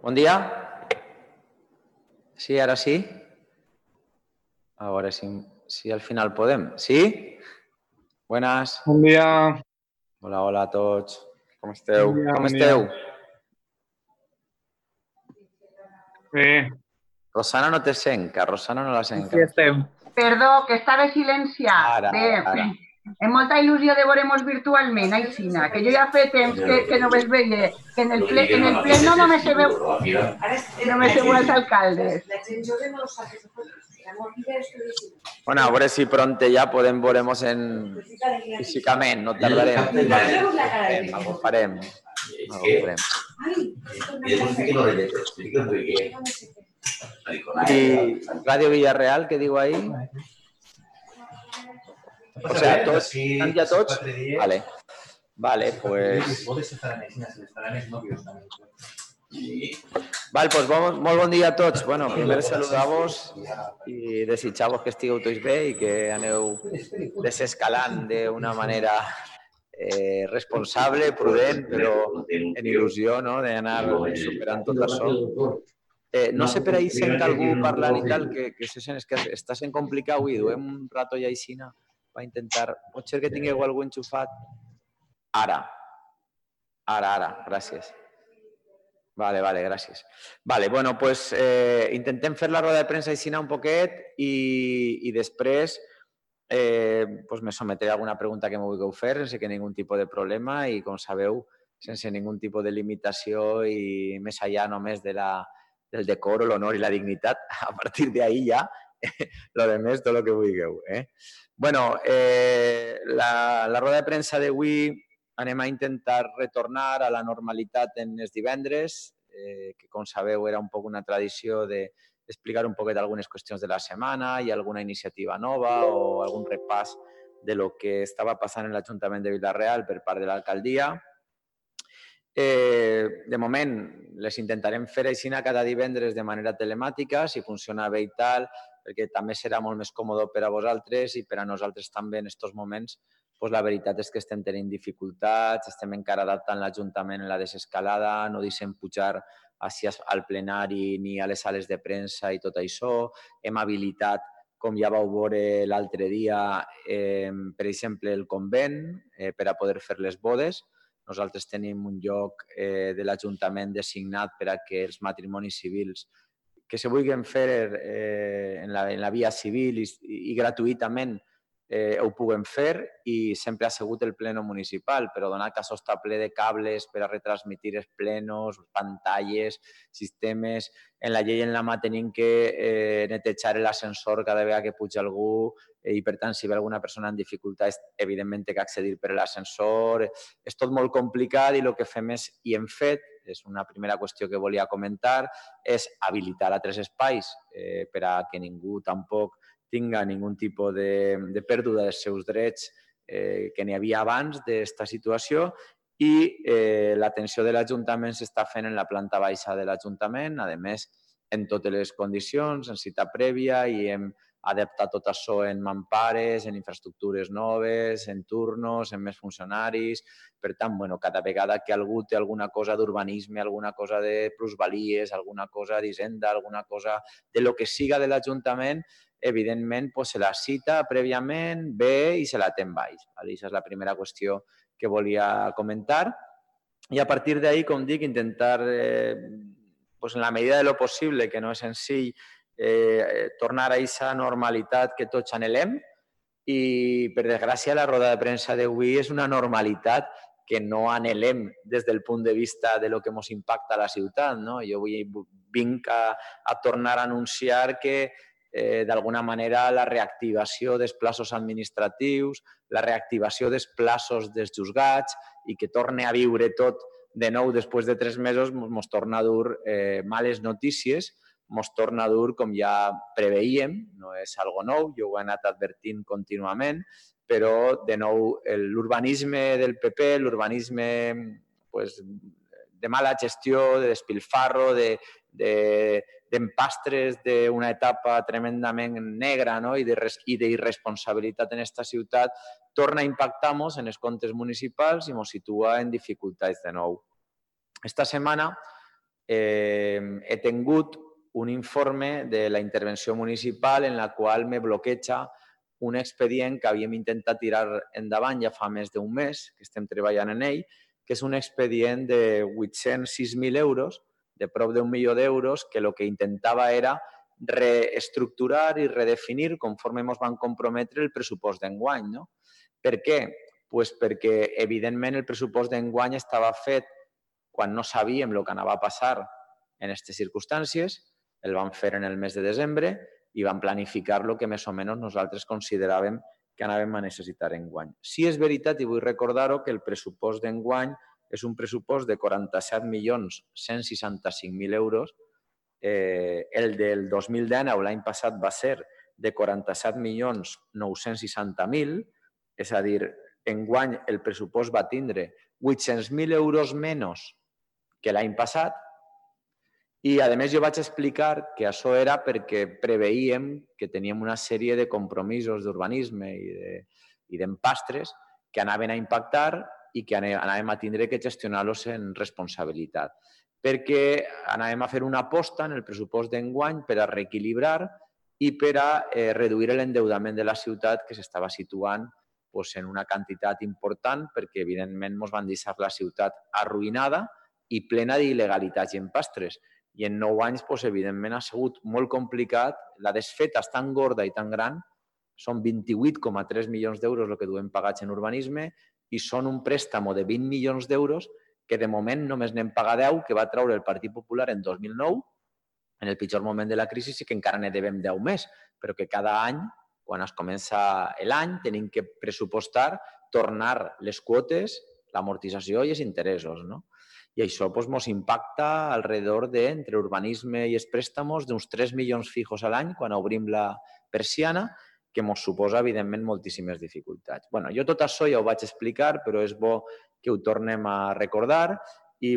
Buen día. Sí, ahora sí. Ahora sí, sí al final podemos. ¿Sí? Buenas. Bon dia. Hola, hola a tots. Com esteu? Bon dia, Com bon dia. esteu? Bé. Rosana no te sent, que Rosana no la sent. Aquí estem. Perdó, que estava silenciat. Ara, Bé, ara. amb molta il·lusió de veure-nos virtualment, Aixina, que jo ja fa temps que no ves veia, que en el pleno només se veu els alcaldes. Bueno, a veure si pronto ja podem veure-nos físicament, no tardarem. Algo farem. ¿Y Radio Villarreal qué digo ahí? O sea, ¿todos están ya todos? Vale. Vale, pues... Vale, pues molt bon dia a tots. Bueno, primer saludar-vos i desitjar-vos que estigueu tots bé i que aneu desescalant d'una manera responsable, prudent, però en il·lusió, no?, d'anar superant tot això. No sé per ahí sent algú parlant i tal, que se sent, és que està sent complicat avui, duem un rato ja aixina per intentar... Pot ser que tingueu algú enxufat? Ara, gràcies. Vale, gràcies. Vale, bueno, pues intentem fer la roda de premsa aixina un poquet i després pues me sometré a alguna pregunta que me vulgueu fer sense que ningú tipus de problema i, com sabeu, sense ningú tipus de limitació i més allà només del decoro, l'honor i la dignitat. A partir d'ahí ja, lo de més, tot el que vulgueu. Bueno, la roda de premsa d'avui anem a intentar retornar a la normalitat en els divendres, que, com sabeu, era un poc una tradició d'explicar un poquet algunes qüestions de la setmana i alguna iniciativa nova o algun repàs de lo que estava passant en l'Ajuntament de Vila-real per part de l'alcaldia. De moment, les intentarem fer així cada divendres de manera telemàtica, si funciona bé i tal, perquè també serà molt més còmode per a vosaltres i per a nosaltres també en aquests moments. Pues la veritat és que estem tenint dificultats, estem encara adaptant l'Ajuntament en la desescalada, no deixem pujar al plenari ni a les sales de premsa i tot això. Hem habilitat, com ja vau veure l'altre dia, per exemple, el convent per a poder fer les bodes. Nosaltres tenim un lloc de l'Ajuntament designat per a que els matrimonis civils que se vulguin fer en la via civil i gratuïtament ho puguem fer, i sempre ha sigut el pleno municipal, però donat que això està ple de cables per a retransmitir els plenos, pantalles, sistemes. En la llei en la mà tenim que netejar l'ascensor cada vegada que puja algú i, per tant, si ve alguna persona en dificultats, evidentment té que accedir per l'ascensor. És tot molt complicat i el que fem és, i hem fet, és una primera qüestió que volia comentar, és habilitar altres espais per a que ningú tampoc tinga ningun tipus de pèrdua dels seus drets que n'hi havia abans d'aquesta situació, i l'atenció de l'Ajuntament s'està fent en la planta baixa de l'Ajuntament, a més, en totes les condicions, en cita prèvia, i hem adaptat tot això en mampares, en infraestructures noves, en turnos, en més funcionaris. Per tant, cada vegada que algú té alguna cosa d'urbanisme, alguna cosa de plusvalies, alguna cosa d'hisenda, alguna cosa de lo que siga de l'Ajuntament, evidentment se la cita prèviament, ve i se la té en baix. Aquesta és la primera qüestió que volia comentar. I a partir d'ahí, com dic, intentar, en la medida de lo possible, que no és senzill, tornar a aquesta normalitat que tots anhelem. I, per desgràcia, la roda de premsa d'avui és una normalitat que no anhelem des del punt de vista de lo que ens impacta a la ciutat. Jo vinc a tornar a anunciar que d'alguna manera la reactivació dels plaços administratius, la reactivació dels plaços dels juzgats i que torni a viure tot de nou després de 3 mesos ens torna a dur males notícies, ens torna a dur, com ja preveíem, no és algo nou, jo ho he anat advertint contínuament, però de nou l'urbanisme del PP, l'urbanisme de mala gestió, de despilfarro, d'empastres d'una etapa tremendament negra i d'irresponsabilitat en aquesta ciutat, torna a impactar-nos en els comptes municipals i ens situa en dificultats de nou. Esta setmana he tingut un informe de la intervenció municipal en la qual me bloqueja un expedient que havíem intentat tirar endavant ja fa més d'un mes, que estem treballant en ell, que és un expedient de 806.000 euros, de prop d'1 milió d'euros, que el que intentava era reestructurar i redefinir, conforme ens van comprometre, el pressupost d'enguany. No? Per què? Pues perquè, evidentment, el pressupost d'enguany estava fet quan no sabíem el que anava a passar en aquestes circumstàncies, el vam fer en el mes de desembre i vam planificar el que més o menys nosaltres consideràvem que anàvem a necessitar enguany. Sí és veritat, i vull recordar-ho, que el pressupost d'enguany és un pressupost de 47.165.000 euros. El del 2019, l'any passat, va ser de 47.960.000, és a dir, enguany el pressupost va tindre 800.000 euros menys que l'any passat, i, a més, jo vaig explicar que això era perquè preveíem que teníem una sèrie de compromisos d'urbanisme i d'empastres que anaven a impactar i que anàvem a tindre que gestionar-los en responsabilitat. Perquè anàvem a fer una aposta en el pressupost d'enguany per a reequilibrar i per a reduir l'endeudament de la ciutat, que s'estava situant en una quantitat important, perquè, evidentment, ens van deixar la ciutat arruïnada i plena d'il·legalitats i empastres. I en 9 anys, evidentment, ha sigut molt complicat. La desfeta és tan gorda i tan gran, són 28,3 milions d'euros el que duem pagats en urbanisme i són un préstamo de 20 milions d'euros que de moment només n'hem pagat 10, que va treure el Partit Popular en 2009, en el pitjor moment de la crisi, i que encara ne devem 10 més, però que cada any, quan es comença l'any, tenim que pressupostar, tornar les quotes, l'amortització i els interessos, no? I això ens impacta alrededor entre urbanisme i els préstamos d'uns 3 milions fijos a l'any quan obrim la persiana, que ens suposa, evidentment, moltíssimes dificultats. Jo tot això ja ho vaig explicar, però és bo que ho tornem a recordar i,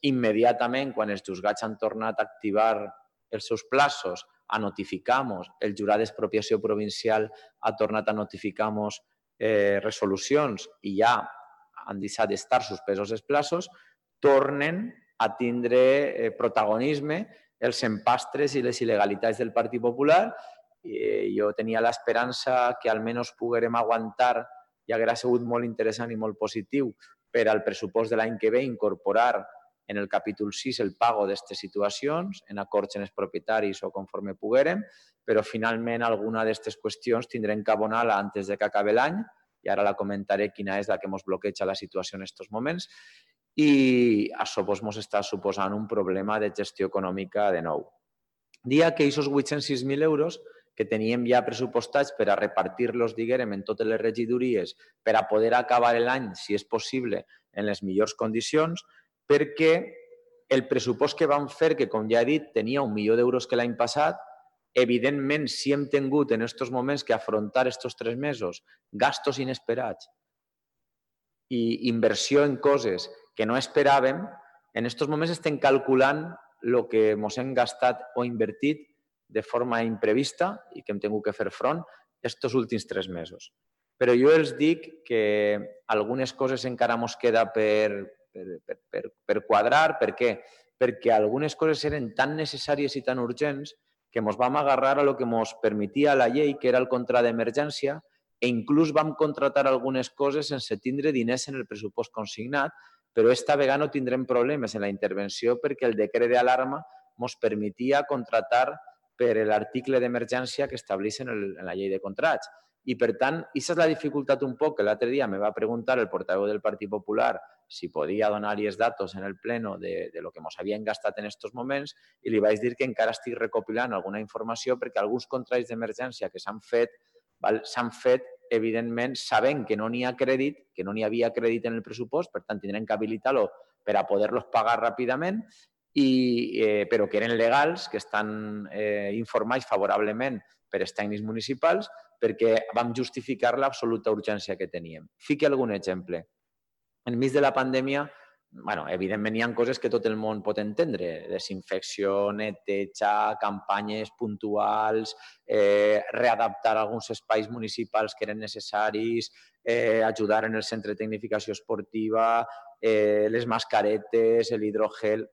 immediatament, quan els juzgats han tornat a activar els seus plaços, a notificar-nos, el jurat d'expropiació provincial ha tornat a notificar-nos resolucions i ja han deixat d'estar suspesos els plaços, tornen a tindre protagonisme els empastres i les il·legalitats del Partit Popular. Jo tenia l'esperança que almenys poguérem aguantar, i hauria sigut molt interessant i molt positiu per al pressupost de l'any que ve incorporar en el capítol 6 el pago d'aquestes situacions, en acords amb els propietaris o conforme poguérem, però finalment alguna d'aquestes qüestions tindrem que abonar-la antes que acabi l'any, i ara la comentaré quina és la que ens bloqueja la situació en aquests moments, i això ens està suposant un problema de gestió econòmica de nou. Dia que aquests 806.000 euros que teníem ja pressupostats per a repartir-los, diguem, en totes les regidories per a poder acabar l'any, si és possible, en les millors condicions, perquè el pressupost que vam fer, que com ja he dit, tenia 1 milió d'euros que l'any passat, evidentment, si hem tingut en aquests moments que afrontar aquests 3 mesos gastos inesperats i inversió en coses que no esperàvem, en aquests moments estem calculant el que ens hem gastat o invertit de forma imprevista i que hem tingut que fer front aquests últims 3 mesos. Però jo els dic que algunes coses encara ens queda per quadrar. Per què? Perquè algunes coses eren tan necessàries i tan urgents que ens vam agarrar a el que ens permetia la llei, que era el contrat d'emergència, i inclús vam contratar algunes coses sense tindre diners en el pressupost consignat, però esta vegada no tindrem problemes en la intervenció perquè el decret d'alarma ens permetia contratar per l'article d'emergència que estableix en la llei de contrats. I, per tant, aquesta és la dificultat un poc que l'altre dia me va preguntar el portaveu del Partit Popular si podia donar-li els datos en el pleno de lo que ens havien gastat en aquests moments i li vaig dir que encara estic recopilant alguna informació perquè alguns contrats d'emergència que s'han fet, evidentment, sabent que no n'hi ha crèdit, que no n'hi havia crèdit en el pressupost, per tant, tindrem que habilitar-lo per a poder-los pagar ràpidament, però que eren legals, que estan informats favorablement per als tècnics municipals, perquè vam justificar l'absoluta urgència que teníem. Fique algun exemple. Enmig de la pandèmia, evidentment hi ha coses que tot el món pot entendre, desinfecció, neteja, campanyes puntuals, readaptar alguns espais municipals que eren necessaris, ajudar en el centre de tecnificació esportiva, les mascaretes, l'hidrogel,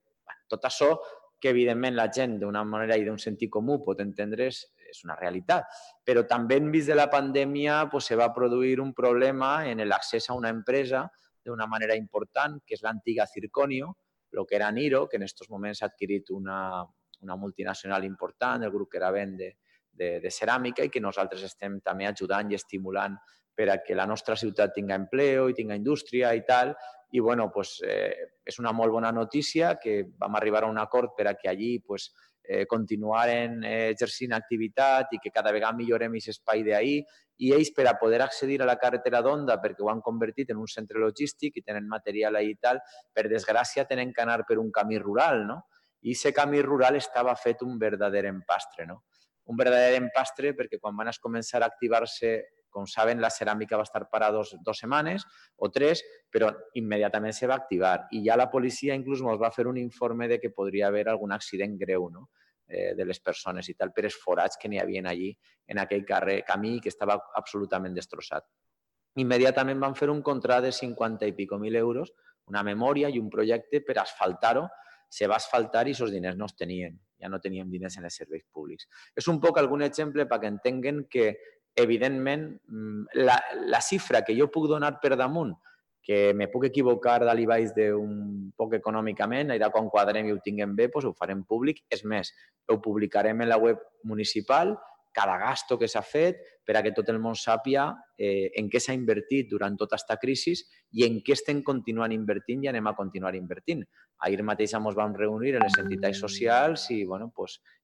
Tot això que, evidentment, la gent d'una manera i d'un sentit comú pot entendre és una realitat. Però també enmig de la pandèmia se va produir un problema en l'accés a una empresa d'una manera important, que és l'antiga Circonio, el que era Niro, que en aquests moments ha adquirit una multinacional important, el grup que era Ben de ceràmica, i que nosaltres estem també ajudant i estimulant per a que la nostra ciutat tinga empleo i tinga indústria i tal. I bueno, és una molt bona notícia que vam arribar a un acord per a que allí continuaren exercint activitat i que cada vegada millorem aquest espai d'ahir, i ells, per a poder accedir a la carretera d'Onda, perquè ho han convertit en un centre logístic i tenen material ahir i tal, per desgràcia tenen que anar per un camí rural, no? I aquest camí rural estava fet un verdader empastre, no? Un verdader empastre perquè quan van començar a activar-se, com saben, la ceràmica va estar parada 2 setmanes o 3, però immediatament se va activar. I ja la policia inclús ens va fer un informe de que podria haver algun accident greu, no?, de les persones i tal, per els forats que n'hi havia allí en aquell camí que estava absolutament destrossat. Immediatament van fer un contrat de 50 i pico mil euros, una memòria i un projecte per asfaltar-ho. Se va asfaltar i aquests diners no els tenien. Ja no teníem diners en els serveis públics. És un poc algun exemple perquè entenguen que, evidentment, la xifra que jo puc donar per damunt, que me puc equivocar dalt i baix d'un poc econòmicament, allà quan quadrem i ho tinguem bé, ho farem públic. És més, ho publicarem en la web municipal, cada gasto que s'ha fet, per a que tot el món sàpiga en què s'ha invertit durant tota aquesta crisi i en què estem continuant invertint i anem a continuar invertint. Ahir mateix ens vam reunir en les entitats socials i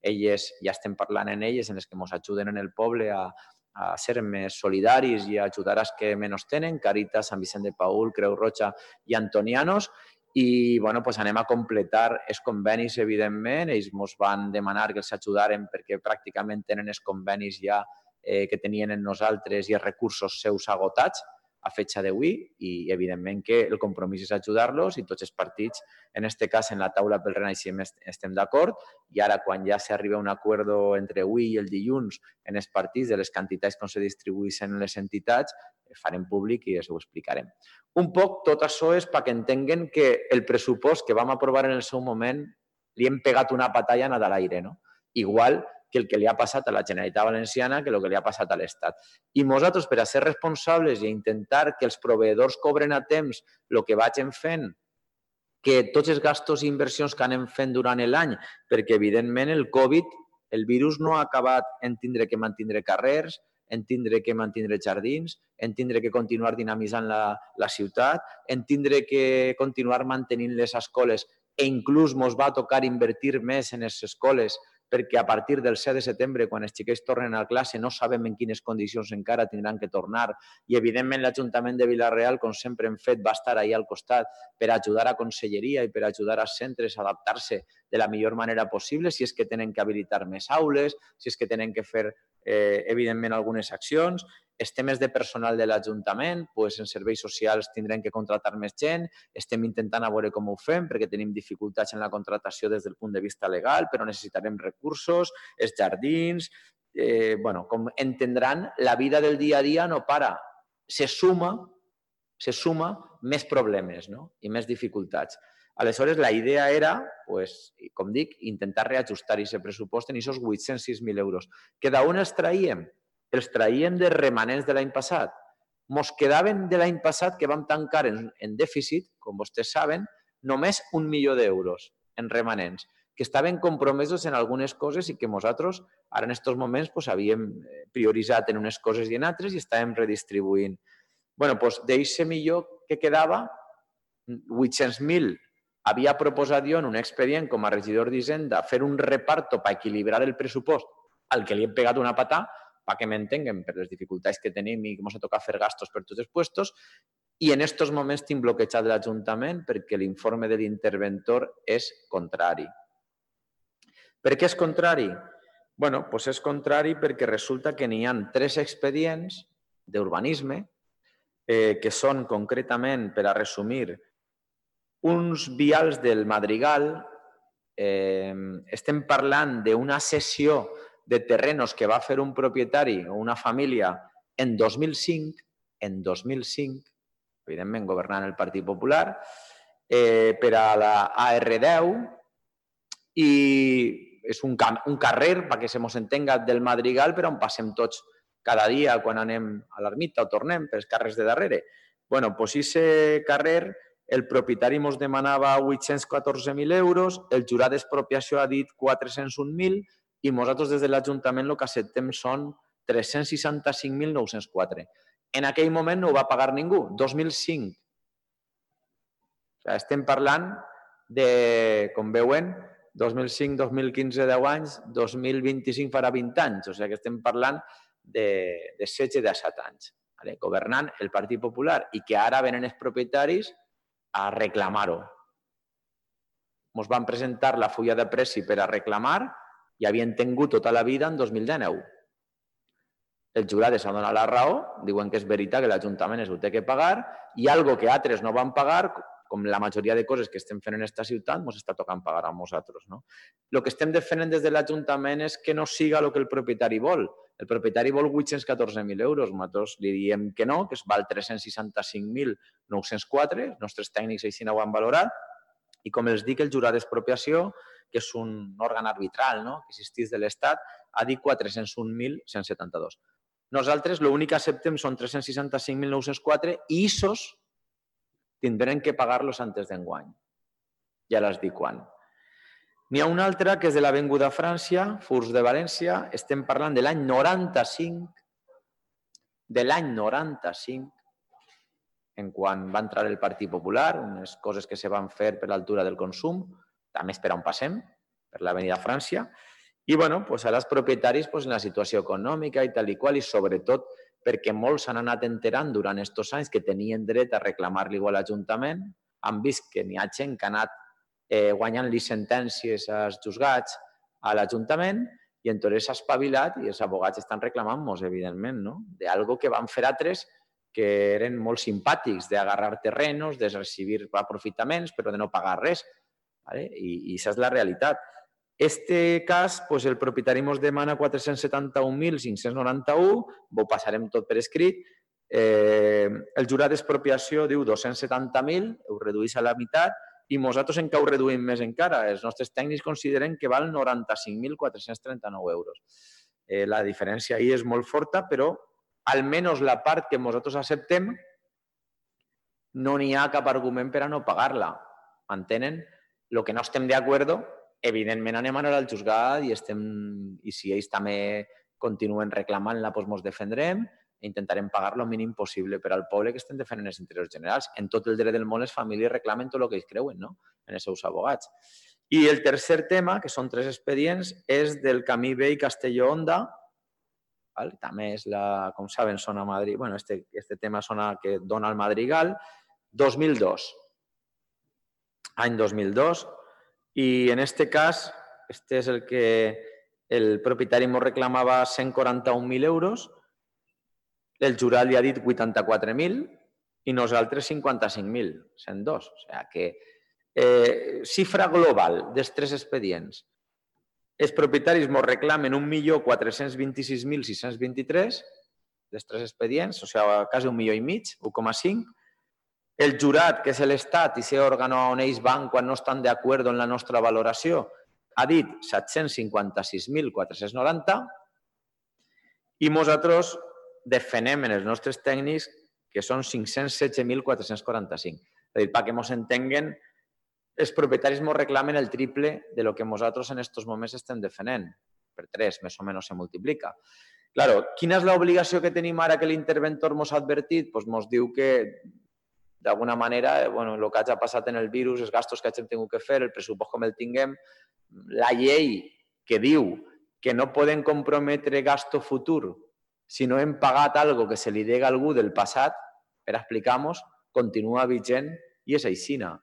elles, ja estem parlant en elles, en les que ens ajuden en el poble a ser més solidaris i a ajudar als que menys tenen, Càritas, Sant Vicent de Paül, Creu Roja i Antonianos, i anem a completar els convenis, evidentment. Ells ens van demanar que els ajudaren perquè pràcticament tenen els convenis ja que tenien en nosaltres i els recursos seus agotats a fecha d'avui, i evidentment que el compromís és ajudar-los i tots els partits, en aquest cas en la taula pel Renaixement estem d'acord, i ara quan ja s'arriba a un acord entre avui i el dilluns en els partits de les quantitats com se distribueixen en les entitats, farem públic i us ho explicarem. Un poc tot això és perquè entenguen que el pressupost que vam aprovar en el seu moment li hem pegat una patallana de l'aire, no? Igual que el que li ha passat a la Generalitat Valenciana que el que li ha passat a l'Estat. I nosaltres, per a ser responsables i intentar que els proveïdors cobren a temps el que vagin fent, que tots els gastos i inversions que anem fent durant l'any, perquè evidentment el Covid, el virus no ha acabat en tindre que mantenir carrers, en tindre que mantenir jardins, en tindre que continuar dinamitzant la ciutat, en tindre que continuar mantenint les escoles, i inclús ens va tocar invertir més en les escoles perquè a partir del 7 de setembre, quan els xiquets tornen a classe, no sabem en quines condicions encara tindran que tornar. I, evidentment, l'Ajuntament de Vila-real, com sempre hem fet, va estar ahí al costat per ajudar a Conselleria i per ajudar als centres a adaptar-se de la millor manera possible, si és que tenen que habilitar més aules, si és que tenen que fer, evidentment, algunes accions. Els temes de personal de l'Ajuntament, en serveis socials tindrem que contratar més gent, estem intentant a veure com ho fem perquè tenim dificultats en la contratació des del punt de vista legal, però necessitarem recursos, els jardins. Com entendran, la vida del dia a dia no para. Se suma més problemes, no?, i més dificultats. Aleshores, la idea era, com dic, intentar reajustar aquest pressupost en aquests 806.000 euros. Que d'on els traiem? Els traiem de remanents de l'any passat. Ens quedaven de l'any passat, que vam tancar en dèficit, com vostès saben, només 1 milió d'euros en remanents, que estaven compromesos en algunes coses i que nosaltres, ara en aquests moments, havíem prioritzat en unes coses i en altres i estàvem redistribuint. D'aquest milió que quedava, 800.000 havia proposat jo en un expedient com a regidor d'Hisenda fer un reparto per equilibrar el pressupost al que li hem pegat una patà, perquè m'entenguen, per les dificultats que tenim i que ens ha tocat fer gastos per tots els puestos, i en aquests moments tinc bloquejat l'Ajuntament perquè l'informe de l'interventor és contrari. Per què és contrari? És contrari perquè resulta que n'hi ha 3 expedients d'urbanisme que són concretament, per a resumir, uns vials del Madrigal. Estem parlant d'una cessió de terrenos que va fer un propietari o una família en 2005, evidentment governant el Partit Popular, per a la AR10, i és un carrer, perquè se mos entenga, del Madrigal, però on passem tots cada dia quan anem a l'ermita o tornem pels carrers de darrere. Bueno, doncs aquest carrer, el propietari ens demanava 814.000 euros, el jurat d'expropiació ha dit 401.000 i nosaltres des de l'Ajuntament el que acceptem són 365.904. En aquell moment no ho va pagar ningú, 2005. O sigui, estem parlant de, com veuen, 2005, 2015, 10 anys, 2025 farà 20 anys. O sigui que estem parlant de 16 de 7 anys, governant el Partit Popular i que ara venen els propietaris a reclamar-ho. Ens van presentar la fulla de pressi per a reclamar i havien tingut tota la vida en 2019. El jurat s'ha donat la raó, diuen que és veritat que l'Ajuntament es ho té que pagar i algo que altres no van pagar, com la majoria de coses que estem fent en aquesta ciutat, ens està tocant pagar a nosaltres. El que estem defendent des de l'Ajuntament és que no siga el que el propietari vol. El propietari vol 814.000 euros. Nosaltres li diem que no, que es val 365.904. Els nostres tècnics així ho han valorat. I com els dic, el jurat d'expropiació, que és un òrgan arbitral que existeix de l'Estat, ha dit 401.172. Nosaltres l'únic que acceptem són 365.904 i ISOs tindrem que pagar-los antes d'enguany. Ja les dic quan. N'hi ha una altra que és de l'Avinguda França, Furs de València. Estem parlant de l'any 95, en quan va entrar el Partit Popular, unes coses que se van fer per l'altura del consum, també és per on passem, per l'Avinguda França. I ara els propietaris en la situació econòmica i tal i qual, i sobretot perquè molts s'han anat enterant durant aquests anys que tenien dret a reclamar-li a l'Ajuntament, han vist que n'hi ha gent que ha anat guanyant-li sentències als jutjats a l'Ajuntament i entonces s'ha espavilat i els advocats estan reclamant-nos, evidentment, d'algo que van fer altres que eren molt simpàtics, d'agarrar terrenos, de recibir aprofitaments, però de no pagar res. I això és la realitat. Este cas, el propietari ens demana 471.591, ho passarem tot per escrit. El jurat d'expropiació diu 270.000, ho redueix a la meitat, i nosaltres encara ho reduïm més encara. Els nostres tècnics consideren que val 95.439 euros. La diferència ahir és molt forta, però almenys la part que nosaltres acceptem no n'hi ha cap argument per a no pagar-la. Entenen? El que no estem d'acord, evidentment anem a anar al jutjat i si ells també continuen reclamant-la, doncs ens defendrem i intentarem pagar el mínim possible per al poble que estem defendent els interessos generals. En tot el dret del món les famílies reclamen tot el que ells creuen, en els seus advocats. I el tercer tema, que són 3 expedients, és del camí vell Castelló-Onda. També és, com saben, zona Madrid. Bueno, este tema zona que dona al Madrigal. 2002. Any 2002. I en aquest cas, este és el que el propietari ens reclamava 141.000 euros, el jurat li ha dit 84.000 i nosaltres 55.000, 102. O sigui que xifra global dels 3 expedients. Els propietaris ens reclamen 1.426.623 dels 3 expedients, o sigui, quasi 1,5 milions, 1,5. El jurat, que és l'Estat i aquest òrgan on ells van quan no estan d'acord en la nostra valoració, ha dit 756.490 i nosaltres defenem en els nostres tècnics que són 516.445. És a dir, perquè ens entenguen, els propietaris ens reclamen el triple de lo que nosaltres en aquests moments estem defenent. Per 3, més o menys, se multiplica. Claro, quina és l'obligació que tenim ara que l'interventor ens ha advertit? Doncs ens diu que d'alguna manera, el que ha passat en el virus, els gastos que hem tingut que fer, el pressupost com el tinguem, la llei que diu que no poden comprometre gasto futur si no hem pagat alguna cosa que se li dega a algú del passat, per explicar-nos, continua vigent i és aixina.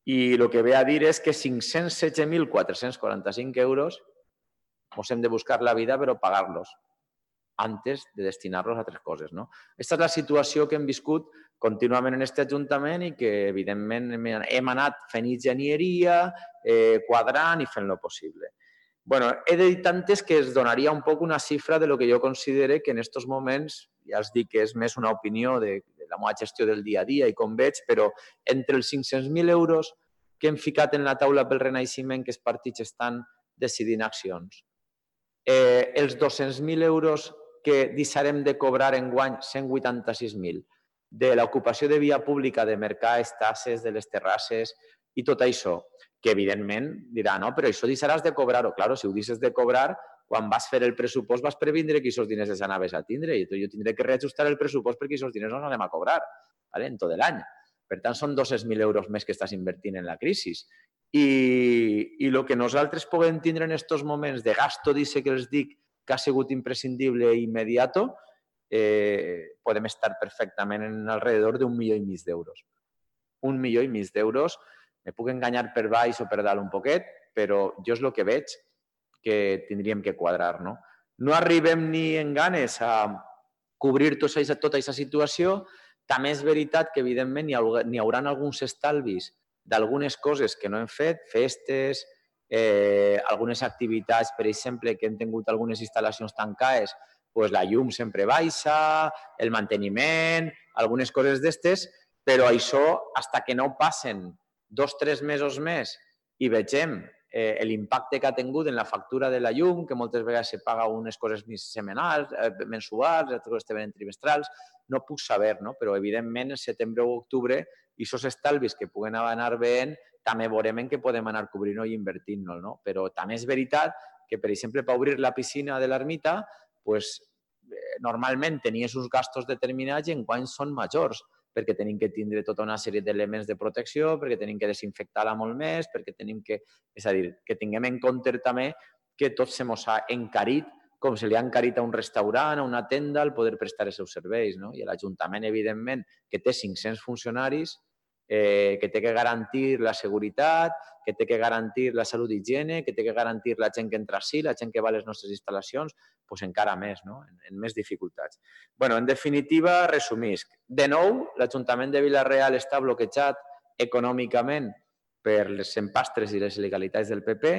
I el que ve a dir és que 516.445 euros ens hem de buscar la vida per pagar-los antes de destinar-los a altres coses. Aquesta és la situació que hem viscut contínuament en aquest Ajuntament i que, evidentment, hem anat fent enginyeria, quadrant i fent el possible. He de dir tantes que es donaria un poc una xifra de lo que jo considero que en aquests moments, ja els dic que és més una opinió de la meva gestió del dia a dia i com veig, però entre els 500.000 euros que hem ficat en la taula pel Renaixement que els partits estan decidint accions. Els 200.000 euros que deixarem de cobrar enguany, 186.000, de l'ocupació de via pública, de mercar estasses, de les terrasses i tot això, que evidentment dirà, no, però això deixaràs de cobrar-ho. Clar, si ho deixes de cobrar, quan vas fer el pressupost vas previndre que aquests diners els anaves a tindre i jo tindré que reajustar el pressupost perquè aquests diners no els anem a cobrar en tot l'any. Per tant, són 200.000 euros més que estàs invertint en la crisi. I el que nosaltres podem tindre en aquests moments de gasto, dice que els dic, que ha sigut imprescindible i immediat, podem estar perfectament en alrededor d'1,5 milió d'euros. 1,5 milió d'euros, me puc enganyar per baix o per dalt un poquet, però jo és el que veig que tindríem que quadrar. No arribem ni en ganes a cobrir tota aquesta situació. També és veritat que, evidentment, n'hi haurà alguns estalvis d'algunes coses que no hem fet, festes, algunes activitats, per exemple, que hem tingut algunes instal·lacions tancades, doncs la llum sempre baixa, el manteniment, algunes coses d'estes, però això, fins que no passen 2 o 3 mesos més i vegem l'impacte que ha tingut en la factura de la llum, que moltes vegades se paga unes coses setmanals, mensuals, altres coses venen trimestrals, no puc saber, però evidentment en setembre o octubre aquests estalvis que puguen anar veient també veurem en què podem anar cobrint-ho i invertint-nos. Però també és veritat que, per exemple, per obrir la piscina de l'ermita, normalment tenies uns gastos determinats i enguany són majors, perquè tenim que tindre tota una sèrie d'elements de protecció, perquè tenim que desinfectar-la molt més, perquè tenim que... És a dir, que tinguem en compte també que tot se mos ha encarit, com se li ha encarit a un restaurant, a una tenda, el poder prestar els seus serveis. I l'Ajuntament, evidentment, que té 500 funcionaris, que té que garantir la seguretat, que té que garantir la salut i higiene, que té que garantir la gent que entra així, la gent que va a les nostres instal·lacions, doncs encara més, en més dificultats. En definitiva, resumisc. De nou, l'Ajuntament de Vila-real està bloquejat econòmicament per les empastres i les il·legalitats del PP.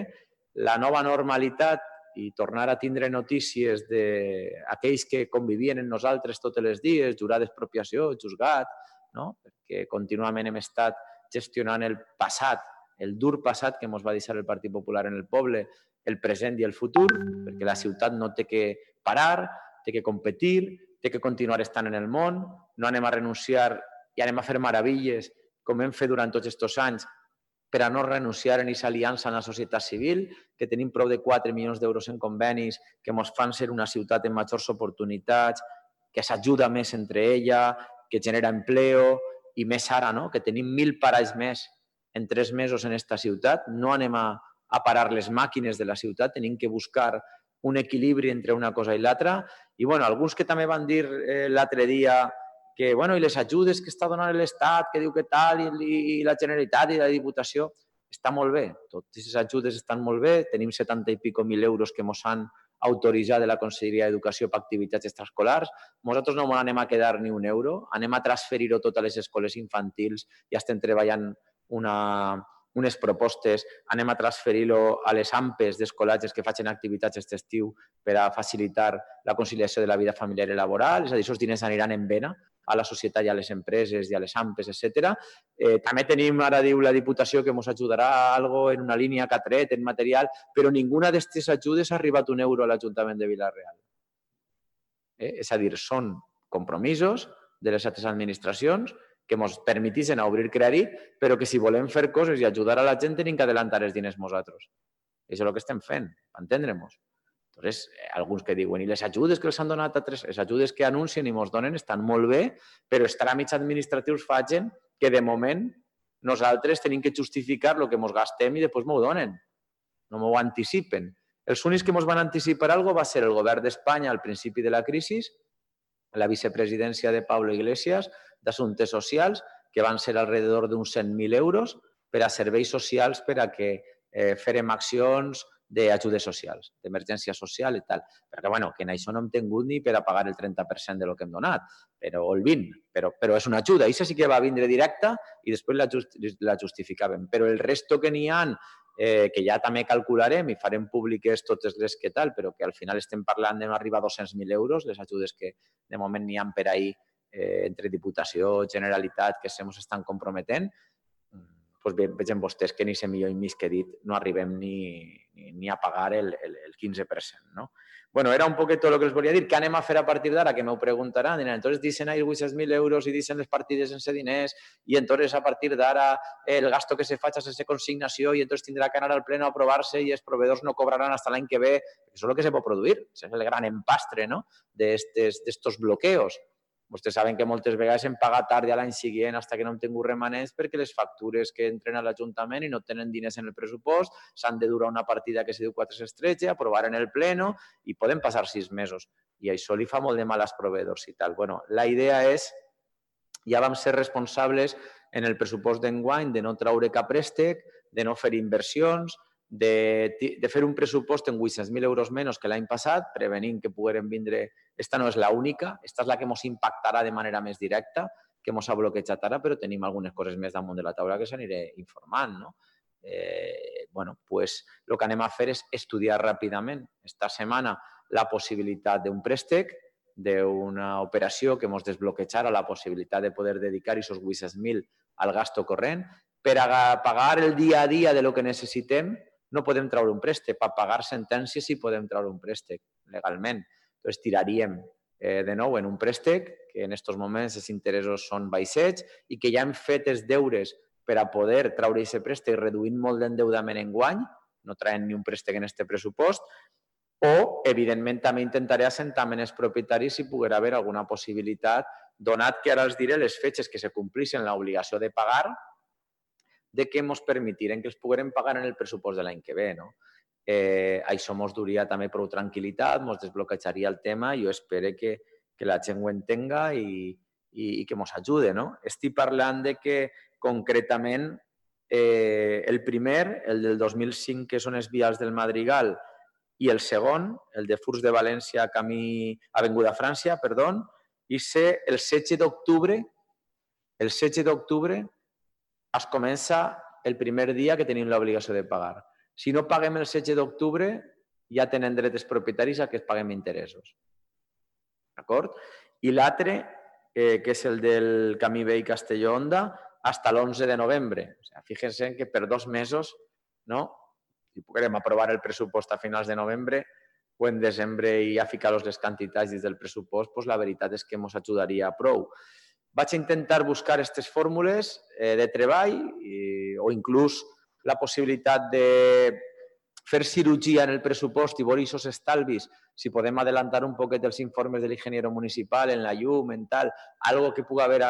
La nova normalitat i tornar a tindre notícies d'aquells que convivien amb nosaltres tots els dies, jurar d'expropiació, juzgat, perquè contínuament hem estat gestionant el passat, el dur passat que ens va deixar el Partit Popular en el poble, el present i el futur, perquè la ciutat no té que parar, té que competir, té que continuar estant en el món, no anem a renunciar i anem a fer meravilles com hem fet durant tots aquests anys per a no renunciar en aquesta aliança amb la societat civil, que tenim prou de 4 milions d'euros en convenis que ens fan ser una ciutat amb majors oportunitats, que s'ajuda més entre ella, que genera empleo, i més ara, que tenim 1.000 paralls més en 3 mesos en aquesta ciutat. No anem a parar les màquines de la ciutat, tenim que buscar un equilibri entre una cosa i l'altra. I alguns que també van dir l'altre dia que i les ajudes que està donant l'Estat, que diu que tal, i la Generalitat i la Diputació, està molt bé. Totes aquestes ajudes estan molt bé. Tenim 70 i pico mil euros que ens han autoritzat de la Conselleria d'Educació per activitats extraescolars. Nosaltres no anem a quedar ni un euro, anem a transferir-ho tot a les escoles infantils, ja estem treballant unes propostes, anem a transferir-ho a les AMPEs d'escolatges que facin activitats aquest estiu per a facilitar la conciliació de la vida familiar i laboral, és a dir, aquests diners aniran en vena a la societat i a les empreses i a les AMPEs, etc. També tenim, ara diu la Diputació, que ens ajudarà algo en una línia que ha tret, en material, però ninguna d'aquestes ajudes ha arribat un euro a l'Ajuntament de Vila-real. És a dir, són compromisos de les altres administracions que ens permeteixen obrir crèdit, però que si volem fer coses i ajudar a la gent tenim que adelantar els diners nosaltres. Això és el que estem fent, per entendre'ns. Entonces, alguns que diuen, i les ajudes que els han donat a les ajudes que anuncien i ens donen estan molt bé, però els tràmits administratius fan que, de moment, nosaltres tenim que justificar el que ens gastem i després m'ho donen. No m'ho anticipen. Els únics que ens van anticipar alguna cosa va ser el govern d'Espanya al principi de la crisi, la vicepresidència de Pablo Iglesias, d'Assumptes Socials, que van ser alrededor d'uns 100.000 euros per a serveis socials per a que fèrem accions d'ajudes socials, d'emergència social i tal. Perquè, que en això no hem tingut ni per a pagar el 30% del que hem donat, o el 20%, però és una ajuda. Això sí que va vindre directa i després la justificàvem. Però el resto que n'hi ha, que ja també calcularem i farem públiques totes les que tal, però que al final estem parlant d'arribar a 200.000 euros, les ajudes que de moment n'hi ha per ahir entre Diputació, Generalitat, que se ens estan comprometent, vegin vostès que ni 100 milions i mig que he dit no arribem ni a pagar el 15%. No? Bueno, era un poquet tot el que els volia dir. Què anem a fer a partir d'ara? Que m'ho preguntaran. Diran, entonces dicen ahí 800.000 euros i dicen les partides sense diners i entonces a partir d'ara el gasto que se faig és sense consignació i entonces tindrà que anar al pleno a aprovar-se i els proveedors no cobraran hasta l'any que ve. Això és el que se pot produir. Això és el gran empastre, ¿no? d'estos bloqueos. Vostès saben que moltes vegades hem pagat tard a l'any següent fins que no hem tingut remanents perquè les factures que entren a l'Ajuntament i no tenen diners en el pressupost s'han de durar una partida que se diu 4 s'estretja, aprovar en el pleno i poden passar 6 mesos. I això li fa molt de mal als proveedors i tal. Bueno, la idea és, ja vam ser responsables en el pressupost d'enguany de no traure cap préstec, de no fer inversions, de fer un pressupost en 800.000 euros menys que l'any passat, prevenint que pogueren vindre. Esta no és l'única, esta és la que ens impactarà de manera més directa, que ens ha bloquejat ara, però tenim algunes coses més damunt de la taula que s'aniré informant. No? Bueno, pues el que anem a fer és estudiar ràpidament esta setmana la possibilitat d'un préstec, d'una operació que ens desbloquejara la possibilitat de poder dedicar aquests 800.000 al gasto corrent. Per a pagar el dia a dia de lo que necessitem, no podem treure un préstec. Per pagar sentències sí podem treure un préstec legalment. Llavors tiraríem de nou en un préstec, que en aquests moments els interessos són baixets i que ja hem fet els deures per a poder treure aquest préstec reduint molt l'endeudament enguany, no traient ni un préstec en aquest pressupost, o, evidentment, també intentaré assentar amb els propietaris si poguera haver alguna possibilitat, donat que ara els diré les fetges que se complissin l'obligació de pagar, de que ens permetiren que els poguérem pagar en el pressupost de l'any que ve. No? Això ens duria també prou tranquil·litat, ens desbloquejaria el tema i jo espero que la gent ho entenga i que ens ajude. No? Estic parlant de que, concretament, el primer, el del 2005, que són els vials del Madrigal, i el segon, el de Furs de València, camí Avinguda França, i ser el 16 d'octubre. El 16 d'octubre es comença el primer dia que tenim l'obligació de pagar. Si no paguem el 16 d'octubre, ja tenen dret els propietaris a que es paguem interessos. D'acord? I l'altre, que és el del camí vell Castelló-Onda, fins l'11 de novembre. O sigui, fíjense que per 2 mesos, no? Si poguérem aprovar el pressupost a finals de novembre o en desembre i ja ficar-los les quantitats dins del pressupost, doncs la veritat és que ens ajudaria prou. Vaig intentar buscar aquestes fórmules de treball o inclús la possibilitat de fer cirurgia en el pressupost i veure aquests estalvis, si podem adelantar un poquet els informes de l'ingeniero municipal en la llum, en tal, algo que pugui haver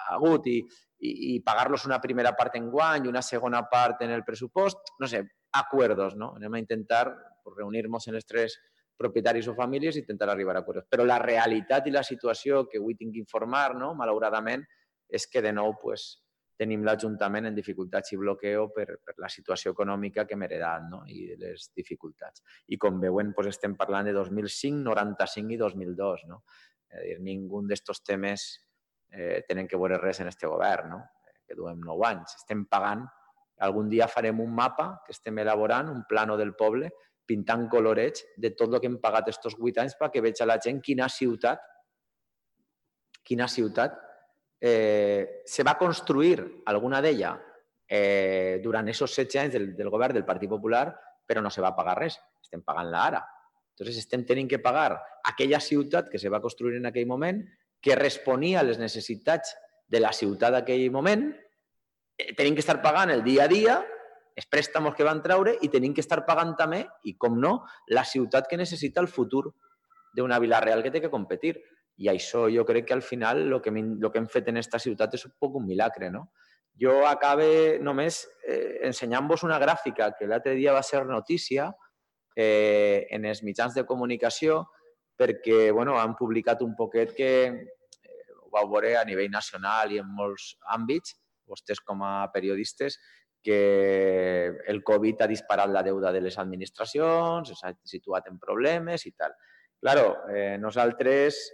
hagut i pagar-los una primera part en guany i una segona part en el pressupost, no sé, acuerdos, no? Anem a intentar reunir-nos en els 3 propietaris o famílies i intentar arribar a acuerdos. Però la realitat i la situació que avui tinc que informar, no? Malauradament, és que de nou tenim l'Ajuntament en dificultats i bloqueo per la situació econòmica que hem heredat, no? I les dificultats. I com veuen, estem parlant de 2005, 95 i 2002. No? És a dir, ningú d'aquests temes tenen que veure res en aquest govern, no? Que duem 9 anys. Estem pagant, algun dia farem un mapa que estem elaborant, un plano del poble, pintant colorets de tot el que hem pagat aquests 8 anys perquè veig a la gent quina ciutat se va construir, alguna d'ella, durant aquests 16 anys del govern del Partit Popular, però no se va pagar res. Estem pagant-la ara. Llavors, estem tenint que pagar aquella ciutat que se va construir en aquell moment, que responia a les necessitats de la ciutat d'aquell moment, tenim que estar pagant el dia a dia, els préstamos que van treure i tenim que estar pagant també, i com no, la ciutat que necessita el futur d'una Vila-real que té que competir. I això jo crec que al final el que hem fet en aquesta ciutat és un poc un milagre. No? Jo acabe només ensenyant-vos una gràfica que l'altre dia va ser notícia en els mitjans de comunicació perquè han publicat un poquet que ho vau veure a nivell nacional i en molts àmbits, vostès com a periodistes, que el Covid ha disparat la deuda de les administracions, s'ha situat en problemes i tal. Claro, nosaltres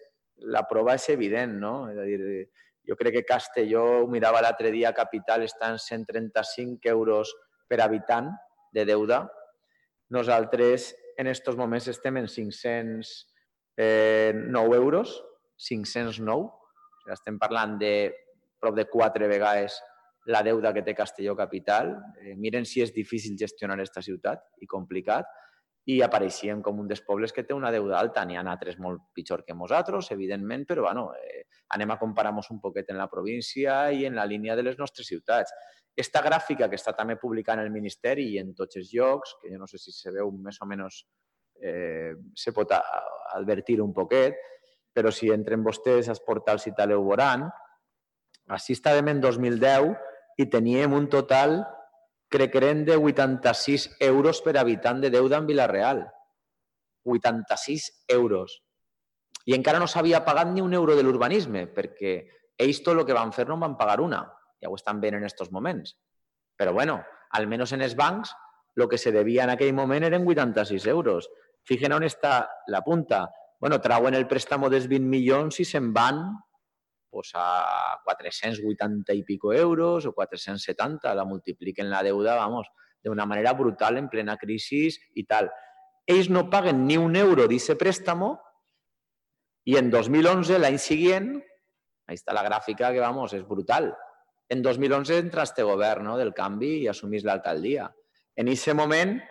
la prova és evident, no? És a dir, jo crec que Castelló, ho mirava l'altre dia, capital està en 135 euros per habitant de deuda. Nosaltres en aquests moments estem en 509 euros, 509. Estem parlant de prop de 4 vegades la deuda que té Castelló Capital, miren si és difícil gestionar aquesta ciutat i complicat, i apareixien com un dels pobles que té una deuda alta. N'hi ha altres molt pitjor que nosaltres, evidentment, però bueno, anem a comparar-nos un poquet en la província i en la línia de les nostres ciutats. Aquesta gràfica que està també publicant el Ministeri i en tots els llocs, que jo no sé si se veu més o menys, se pot advertir un poquet, però si entren vostès als portals i tal ho veuran, així estàvem en 2010 i teníem un total, crec que eren de 86 euros per habitant de deuda en Vila-real. 86 euros. I encara no s'havia pagat ni un euro de l'urbanisme, perquè ells tot el que van fer no en van pagar una. Ja ho estan veient en aquests moments. Però bueno, almenys en els bancs, el que se devia en aquell moment eren 86 euros. Fijen on està la punta. Bueno, trauen el préstamo dels 20 milions i se'n van a 480 i pico euros o 470, la multipliquen la deuda, vamos, d'una manera brutal en plena crisi i tal. Ells no paguen ni un euro d'aquest préstamo i en 2011, l'any següent, ahí està la gràfica que, vamos, és brutal. En 2011 entra este govern del canvi i assumís l'alcaldia. En aquest moment,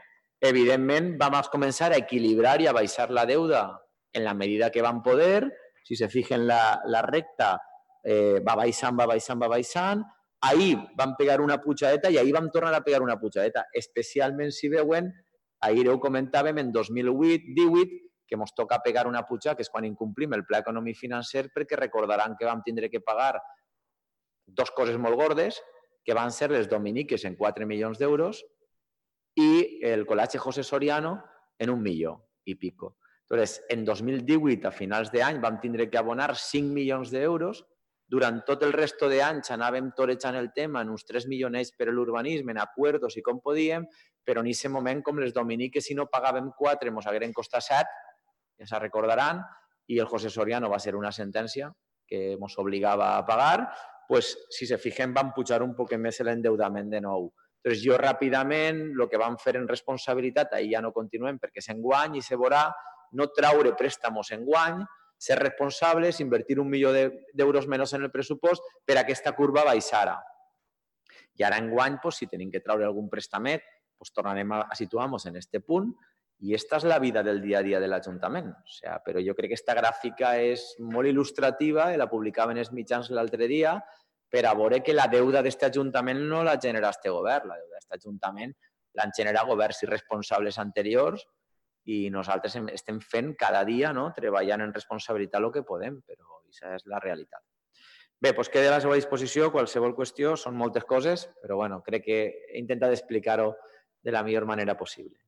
evidentment, vam començar a equilibrar i a baixar la deuda en la medida que vam poder. Si se fijen la recta, va baixant. Ahir vam pegar una pujadeta i ahir vam tornar a pegar una pujadeta. Especialment, si veuen, ahir ho comentàvem, en 2018 que ens toca pegar una puja, que és quan incomplim el pla econòmic financer, perquè recordaran que vam tindre que pagar dues coses molt gordes, que van ser les dominiques en 4 milions d'euros i el col·legi José Soriano en 1 milió i pico. Entonces, en 2018, a finals d'any, vam tindre que abonar 5 milions d'euros. Durant tot el resto d'anys anàvem torejant el tema en uns 3 milionets per a l'urbanisme, en acuerdos i com podíem, però en aquest moment, com les dominiques, si no pagàvem 4, ens hagueren costat 7, ja se recordaran, i el José Soriano va ser una sentència que ens obligava a pagar, doncs, si se fijen, van pujar un poc més l'endeudament de nou. Doncs jo ràpidament, el que vam fer en responsabilitat, ahir ja no continuem perquè s'enguany i se veurà, no traure préstamos enguany, ser responsables, invertir 1 milió d'euros menys en el pressupost per a aquesta curva baixara. I ara enguany, si tenim que traure algun préstamet, tornarem a situar-nos en aquest punt i aquesta és la vida del dia a dia de l'Ajuntament. Però jo crec que aquesta gràfica és molt il·lustrativa i la publicaven els mitjans l'altre dia per a veure que la deuda d'aquest Ajuntament no la genera aquest govern. La deuda d'aquest Ajuntament l'han generat governs irresponsables anteriors i nosaltres estem fent cada dia, treballant en responsabilitat el que podem, però aquesta és la realitat. Bé, doncs queda a la seva disposició qualsevol qüestió, són moltes coses, però crec que he intentat explicar-ho de la millor manera possible.